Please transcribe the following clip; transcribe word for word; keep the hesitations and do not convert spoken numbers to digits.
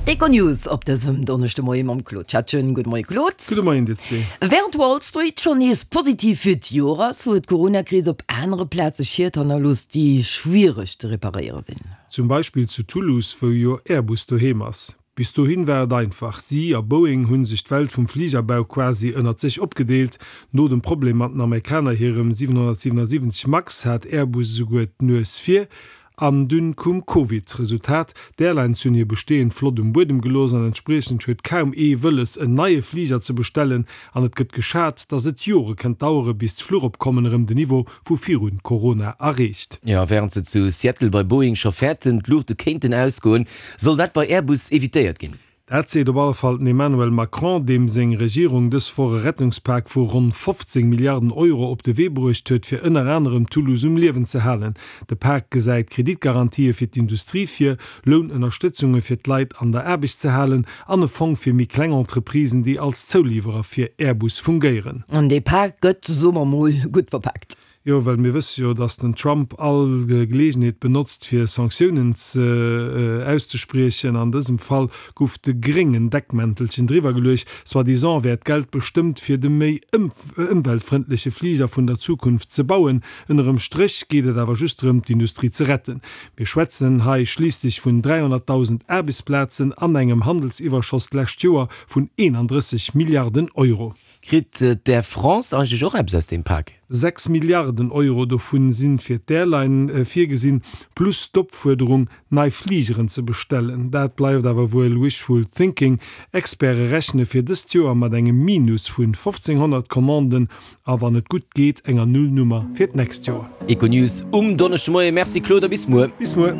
D'Econews op dësem Donneschdemoie mam Claude Schettgen. Gudde Moie Claude. Gudde Moien dir zwee. Wärend Wall Street schonn nees positiv fir d'Joer ass, huet d'Coronakris op anere Plaze Schied hannerlooss, déi schwiereg ze reparéiere sinn. Zum Beispill zu Toulouse, wou jo Airbus doheem ass. Bis dohin war et einfach, Si a Boeing hu sech d'Welt vum Fligerbau quasi ënnert sech opgedeelt. No dem Problem mat den Amerikaner hirem siwenhonnertsiwenundsiwwenzeg Max hat Airbus esouguer d'Nues vir. An dunn koum Covid. Resultat, D'Airlines hunn hir bestehend Flott um Buedem gelooss an entspriechend huet kaum ee wëlles en neie Fliger ze bestellen an et gëtt geschat, dass et Jore kënnt dauere bis d'Fluchopkommen erëm den Niveau vu virun Corona erreecht. Jo, wärend se zu Seattle bei Boeing scho fäerten, d'Luuchte kéinten ausgoen, soll dat bei Airbus evitéiert ginn. Dat seet op alle Fall den Emmanuel Macron, deem seng Regierung dës Woch e Rettungspak vu ronn fofzéng Milliarden Euro op de Wee bruecht huet, fir ënner anerem Toulouse um Liewen ze halen. De Pak gesäit Kreditgarantië fir d'Industrie vir, Lounënnerstëtzunge fir d'Leit an der Aarbecht ze halen an e Fong fir méi kleng Entreprisen, déi als Zouliwwerer fir Airbus fungéieren. An dee Pak gëtt, soe mer mol, gutt verpaakt. Jo, well mir wësse jo, datt den Trump all Geleegenheet benotzt, fir Sanktiounen auszespriechen. An dësem Fall gouf de gréngen Deckmäntelchen driwwer geluecht. Soi-disant wär d'Geld bestëmmt, fir de méi ëmweltfrëndleche Fliger vun der Zukunft ze bauen. Ënnerem Stréch geet et awer just drëm, d'Industrie ze retten. Mir schwätzen hei schliisslech vun dräihonnertdausend Aarbechtsplazen an engem Handelsiwwerschoss d'lescht Joer vun eenandrësseg Milliarden Euro. Kritt d'Air France eigentlech och eppes aus deem Pak? Sechs Milliarden Euro dovun si fir d'Airline virgesinn, plus d'Opfuerderung, nei Fligeren ze bestellen. Dat bleift awer wuel wishful thinking. Experte rechne fir dëst Joer mat engem Minus vun fofzénghonnert Commanden a wann et gutt geet enger Nullnummer fir d'nächst Joer. Econews um Donneschdemoien. Merci Claude a bis muer. Bis muer.